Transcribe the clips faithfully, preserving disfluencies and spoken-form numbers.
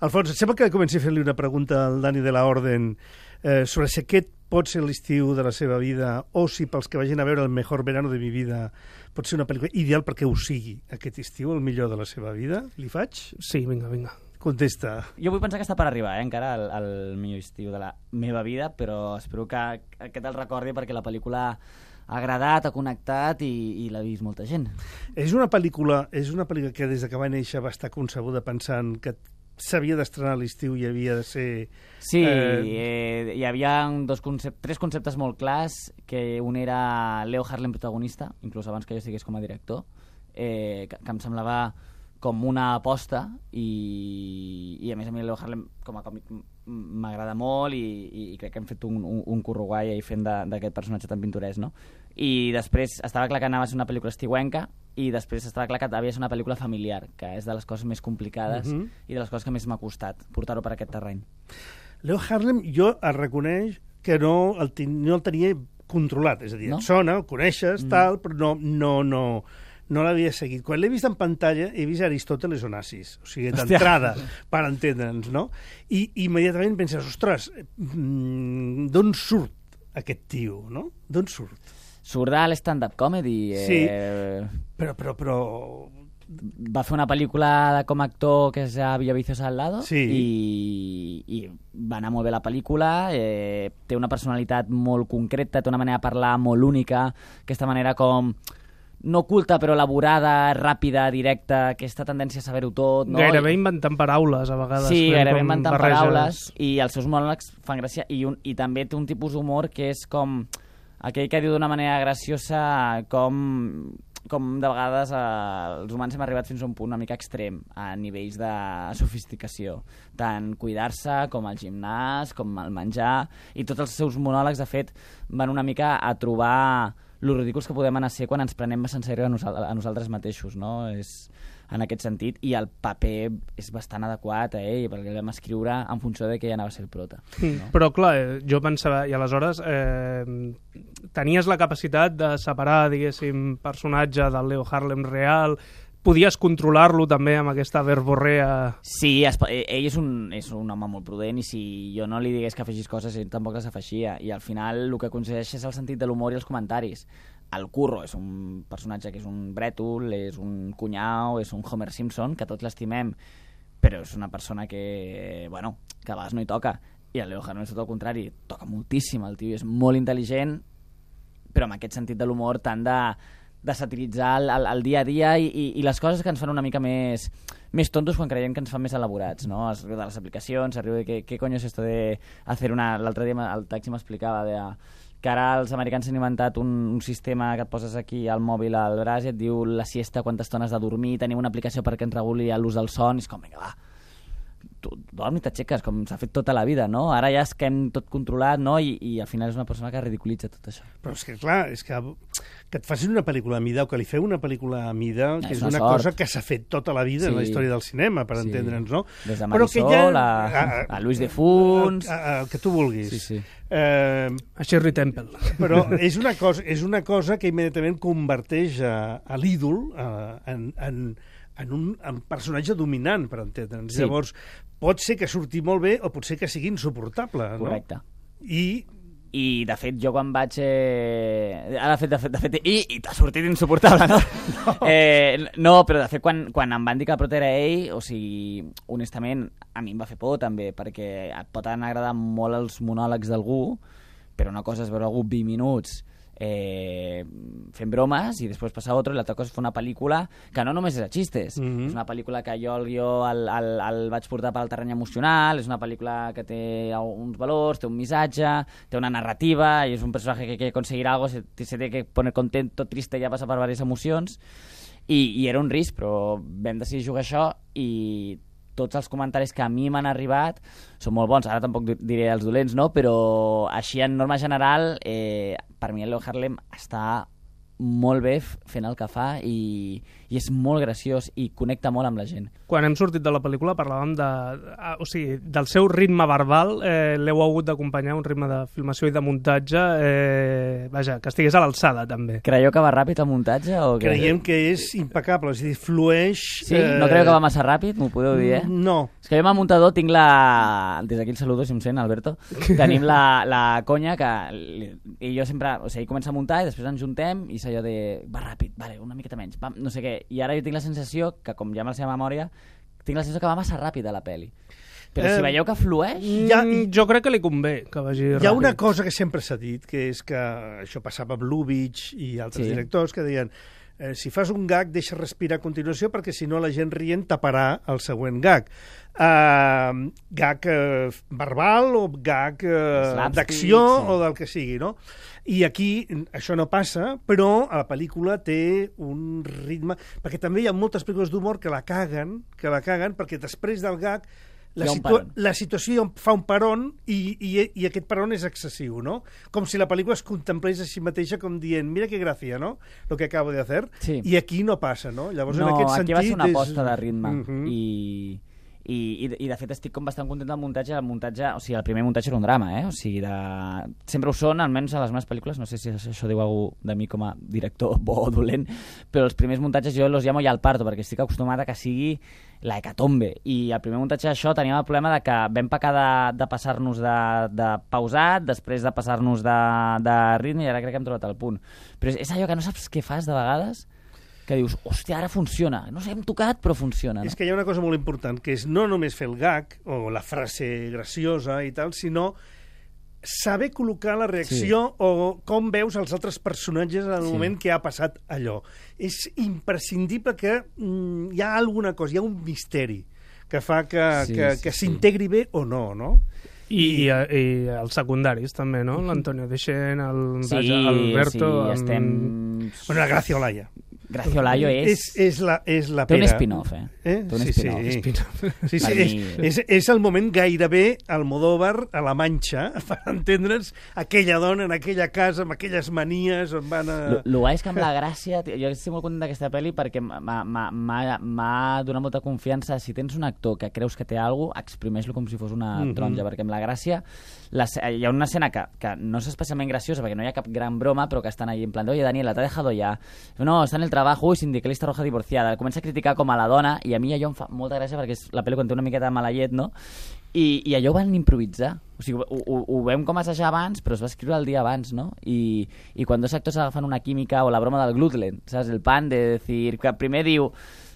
Alfons, et sembla que comenci a fer-li una pregunta al Dani de la Orden eh, sobre si aquest pot ser l'estiu de la seva vida o si pels que vagin a veure El mejor verano de mi vida pot ser una pel·lícula ideal perquè ho sigui aquest estiu, el millor de la seva vida. Li faig? Sí, vinga, vinga. Contesta. Jo vull pensar que està per arribar, eh, encara, al, al millor estiu de la meva vida, però espero que aquest el recordi perquè la pel·lícula ha agradat, ha connectat i, i l'ha vist molta gent. És una pel·lícula, és una pel·lícula que des que va néixer va estar concebuda pensant que s'havia d'estrenar a l'estiu i havia de ser... Sí, eh... Eh, hi havia dos concep tres conceptes molt clars, que un era Leo Harlem protagonista, inclús abans que jo estigués com a director, eh, que, que em semblava com una aposta i, i a més a mi Leo Harlem com a còmic m'agrada molt i, i crec que hem fet un, un, un curro guai ahí fent d'aquest personatge tan pintoresc, no? I després estava clar que anava a ser una pel·lícula estiuenca i després estava clar que havia de ser una pel·lícula familiar, que és de les coses més complicades uh-huh. i de les coses que més m'ha costat portar-ho per aquest terreny. Leo Harlem, jo el reconeix que no el, ten, no el tenia controlat, és a dir, no? Et sona, el coneixes, mm. tal, però no, no, no, no l'havia seguit. Quan l'he vist en pantalla he vist Aristòteles Onassis, o sigui, d'entrada, per entendre'ns, no? I immediatament penses, ostres, d'on surt aquest tio, no? D'on surt? Surt de l'stand-up comedy. Eh... Sí, però, però, però... Va fer una pel·lícula com a actor que és a Villavicios al lado sí. i, i va anar molt bé la pel·lícula, eh, té una personalitat molt concreta, té una manera de parlar molt única, aquesta manera com no oculta però elaborada, ràpida, directa, aquesta tendència a saber-ho tot, no? Gairebé inventant paraules a vegades. Sí, gairebé inventant barreges. paraules i els seus monòlegs fan gràcia i, un, i també té un tipus d'humor que és com aquell que diu d'una manera graciosa com, com de vegades eh, els humans hem arribat fins a un punt una mica extrem a nivells de sofisticació, tant cuidar-se com el gimnàs, com el menjar, i tots els seus monòlegs de fet van una mica a trobar lo ridículs que podem anar a ser quan ens prenem massa en sèrio a, nosal a nosaltres mateixos, no? És en aquest sentit, i el paper és bastant adequat a ell, perquè el vam escriure en funció de que ella anava a ser el prota. No? Però clar, jo pensava, i aleshores eh, tenies la capacitat de separar, diguéssim, personatge del Leo Harlem real, podies controlar-lo també amb aquesta verborrea... Sí, es, ell és un, és un home molt prudent i si jo no li digués que afegís coses, ell tampoc les afeixia, i al final el que aconsegueix és el sentit de l'humor i els comentaris. El Curro és un personatge que és un brètol, és un cunyau, és un Homer Simpson, que tots l'estimem, però és una persona que, bueno, que a vegades no hi toca. I el Leo Harlem és tot el contrari, toca moltíssim, el tio és molt intel·ligent, però amb aquest sentit de l'humor tant de, de satiritzar el, el, el dia a dia i, i, i les coses que ens fan una mica més, més tontos quan creiem que ens fan més elaborats, no? Es riu de les aplicacions, es riu de què, què coño és esto de hacer una... L'altre dia el taxi m'explicava de... que ara els americans han inventat un, un sistema que et poses aquí al mòbil al braç i et diu la siesta, quantes estones de dormir, tenim una aplicació perquè ens reguli l'ús del son, i és com, vinga, va, tu dorm i t'aixeques, com s'ha fet tota la vida, no? Ara ja és que hem tot controlat, no? I, i al final és una persona que ridiculitza tot això. Però és que, clar, és que, que et facin una pel·lícula a mida o que li feu una pel·lícula a mida, que és és una, una sort. cosa que s'ha fet tota la vida sí. en la història del cinema, per sí. entendre'ns, no? Des de Marisol ja... a, a Luis de Funs... A, a, a, que tu vulguis. Sí, sí. Eh, a Shirley Temple. Però és una cosa, és una cosa que immediatament converteix a, a l'ídol en, en, en un en personatge dominant, per entendre'ns. Sí. Llavors, pot ser que surti molt bé o pot ser que sigui insuportable. Correcte. No? I... I, de fet, jo quan vaig... Eh... Ara, de fet, de fet, de fet... I, i t'ha sortit insuportable, no? No. Eh, no, però de fet, quan, quan em van dir que el prota era ell, o sigui, honestament, a mi em va fer por, també, perquè et pot anar agradar molt els monòlegs d'algú, però una cosa és veure algú vint minuts eh, fent bromes i després passar a altre, i l'altra cosa és fer una pel·lícula que no només és a xistes, mm-hmm. és una pel·lícula que jo el guió el, el, el vaig portar pel terreny emocional, és una pel·lícula que té uns valors, té un missatge, té una narrativa, i és un personatge que quiere conseguir algo, se, se té que poner contento, triste, ja passa per diverses emocions, i, i era un risc, però vam decidir jugar això, i tots els comentaris que a mi m'han arribat són molt bons. Ara tampoc diré els dolents, no? Però així en norma general, eh, per mi el Leo Harlem està molt bé fent el que fa i, i és molt graciós i connecta molt amb la gent. Quan hem sortit de la pel·lícula parlàvem de, o sigui, del seu ritme verbal, eh, l'heu hagut d'acompanyar un ritme de filmació i de muntatge, eh, vaja, que estigués a l'alçada també. Creieu que va ràpid el muntatge? O que... Creiem que és impecable, és a dir, flueix... Sí? Eh... No creieu que va massa ràpid? M'ho podeu dir, eh? No. És que jo amb el muntador tinc la... Des d'aquí el saludo, si em sent, Alberto. Tenim la, la conya que... I jo sempre... O sigui, comença a muntar i després ens juntem i és allò de... Va ràpid, vale, una miqueta menys, va, no sé què. I ara jo tinc la sensació que, com ja amb la seva memòria, tinc la sensació que va massa ràpid a la pel·li. Però eh, si veieu que flueix... Ja, jo crec que li convé que vagi ràpid. Hi ha una cosa que sempre s'ha dit, que és que això passava amb Lubitsch i altres sí. directors que deien eh, si fas un gag deixa respirar a continuació perquè si no la gent rient taparà el següent gag. Uh, gag uh, verbal o gag uh, d'acció sí. o del que sigui, no? I aquí això no passa, però a la pel·lícula té un ritme... Perquè també hi ha moltes pel·lícules d'humor que la caguen, que la caguen perquè després del gag la, situa la situació fa un peron i, i, i aquest peron és excessiu, no? Com si la pel·lícula es contemplés a si mateixa com dient, mira que gràcia, no? Lo que acabo de hacer. Sí. I aquí no passa, no? Llavors, no, en aquest aquí sentit, va ser una és... aposta de ritme. Uh -huh. I... I, i, i de fet estic com bastant content del muntatge. El muntatge, o sigui, el primer muntatge era un drama, eh? O sigui, de... sempre ho són, almenys a les meves pel·lícules, no sé si això diu alguna de mi com a director bo o dolent, però els primers muntatges jo los llamo ja al parto, perquè estic acostumat a que sigui la hecatombe, i el primer muntatge d'això teníem el problema de que vam pecar de, de passar-nos de, de pausat, després de passar-nos de, de ritme, i ara crec que hem trobat el punt. Però és, és allò que no saps què fas de vegades, que dius, hòstia, ara funciona. No sé, hem tocat, però funciona. No? És que hi ha una cosa molt important, que és no només fer el gag, o la frase graciosa i tal, sinó saber col·locar la reacció sí. o com veus els altres personatges en el sí. moment que ha passat allò. És imprescindible que mm, hi ha alguna cosa, hi ha un misteri que fa que, sí, que, sí, que s'integri sí. bé o no, no? I, i, i els secundaris també, no? L'Antonio Deixen, el sí, Alberto... Sí, estem... Bueno, la Gracia Olaya. Gracia Olayo és... És, és la, és la Té pera. un spin-off, eh? eh? Té un sí, spin-off. Sí, spin sí, sí és, és, és el moment gairebé Almodóvar a la Manxa, per entendre'ns aquella dona en aquella casa, amb aquelles manies on van a... El guai és que amb la Gràcia... Jo estic molt content d'aquesta pel·li perquè m'ha donat molta confiança. Si tens un actor que creus que té alguna cosa, exprimeix-lo com si fos una mm -hmm. taronja, perquè amb la Gràcia la, hi ha una escena que, que no és especialment graciosa perquè no hi ha cap gran broma, però que estan ahí en plan de, oye, Daniela, t'ha dejado ya. No, està en el trabajo i sindicalista roja divorciada. Comença a criticar com a la dona i a mi allò em fa molta gràcia perquè és la pel·li quan té una miqueta de mala llet, no? I, i allò ho van improvisar. O sigui, ho, ho, ho vam com assajar abans, però es va escriure el dia abans, no? I, i quan dos actors agafen una química o la broma del gluten, saps? El pan de decir... Que primer diu...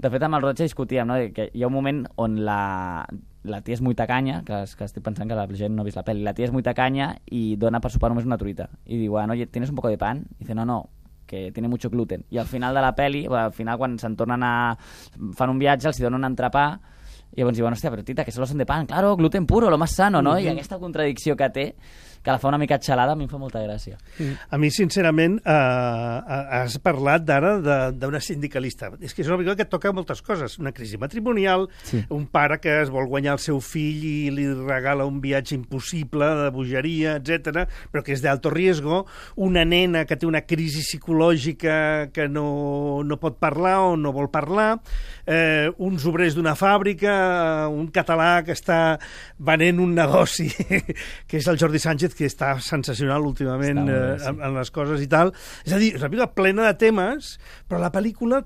De fet, amb el Roig discutíem, no? Que hi ha un moment on la... la tia és muy tacanya, que, es, que estic pensant que la gent no ha vist la pel·li, la tia és muy tacanya i dona per sopar només una truita. I diu, bueno, oye, ¿tienes un poco de pan? I dice, no, no, que tiene mucho gluten. I al final de la pel·li, bueno, al final quan se'n tornen a... fan un viatge, els hi donen un entrepà, i llavors diuen, hòstia, però tita, que solo son de pan. Claro, gluten puro, lo más sano, no? Mm-hmm. I aquesta contradicció que té, que la fa una mica xalada, a mi em fa molta gràcia. Mm. A mi, sincerament, eh, has parlat d'ara d'una sindicalista. És que és una pel·lícula que toca moltes coses. Una crisi matrimonial, sí. Un pare que es vol guanyar el seu fill i li regala un viatge impossible de bogeria, etcètera, però que és d'alto riesgo, una nena que té una crisi psicològica que no, no pot parlar o no vol parlar, eh, uns obrers d'una fàbrica, un català que està venent un negoci, que és el Jordi Sánchez, que està sensacional últimament eh, sí. en, en les coses i tal. És a dir, és una pel·lícula plena de temes, però la pel·lícula,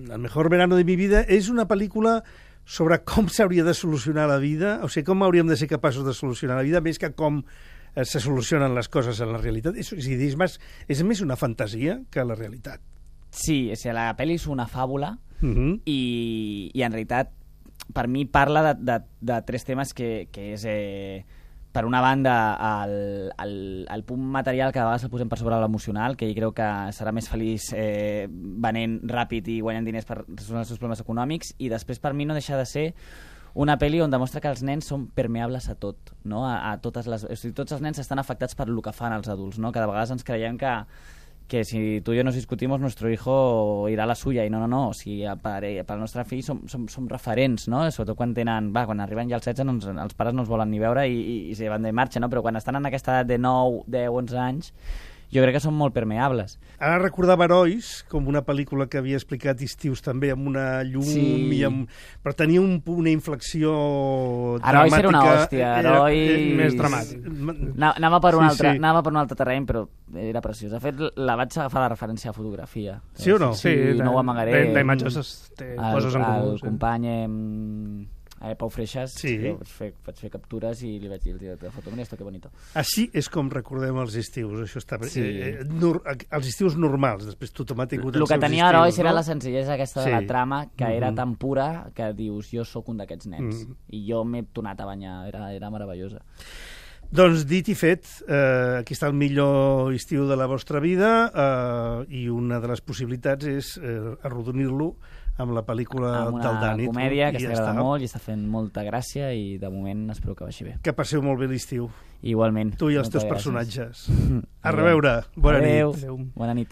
El mejor verano de mi vida, és una pel·lícula sobre com s'hauria de solucionar la vida, o sigui, com hauríem de ser capaços de solucionar la vida, més que com eh, se solucionen les coses en la realitat. És, és, és, més, és més una fantasia que la realitat. Sí, o sigui, la pel·li és una fàbula uh -huh. i, i en realitat per mi parla de, de, de tres temes que, que és... Eh, per una banda, el, el, el punt material que a vegades el posem per sobre l'emocional, que ell creu que serà més feliç eh, venent ràpid i guanyant diners per resoldre els seus problemes econòmics, i després per mi no deixa de ser una pel·li on demostra que els nens són permeables a tot, no? a, a totes les, o sigui, tots els nens estan afectats per el que fan els adults, no? Que de vegades ens creiem que que si tu i jo nos discutimos, nuestro hijo irà a la suya, i no, no, no, o sigui, per, per el nostre fill som, som, som referents, no? Sobretot quan tenen, va, quan arriben ja als setze, doncs, els pares no els volen ni veure i, i, i se van de marxa, no? Però quan estan en aquesta edat de nou, deu, onze anys, jo crec que són molt permeables. Ara recordava Herois com una pel·lícula que havia explicat Estius també, amb una llum, Sí. i amb... però tenia un, una inflexió Herois dramàtica. era una hòstia, Herois... més dramàtic. Na- Anava per, un Sí, altre, sí. anava per un altre terreny, però era preciós. De fet, la vaig agafar la referència a fotografia. Sí o no? Sí, no ho amagaré. D'imatges es té El, coses en comú. el sí. company em, eh, Pau Freixas, Sí. jo vaig, fer, vaig fer captures i li vaig dir al director de foto, mira esto, que bonito. Així és com recordem els estius. Això està... Sí. eh, eh, nor... Els estius normals, després tothom ha tingut El els que seus tenia estius, Herois no? era la senzillesa aquesta Sí. de la trama, que era Mhm. tan pura que dius, jo sóc un d'aquests nens. Mhm. I jo m'he tornat a banyar, era, era meravellosa. Doncs dit i fet, eh, aquí està el millor estiu de la vostra vida, eh, i una de les possibilitats és eh, arrodonir-lo amb la pel·lícula Amb del una Dani. comèdia i que ja s'agrada està. molt i està fent molta gràcia i de moment espero que vagi bé. Que passeu molt bé l'estiu, Igualment. tu i els teus Moltes gràcies. personatges. A reveure. Bona Adéu. nit. Adéu. Bona nit.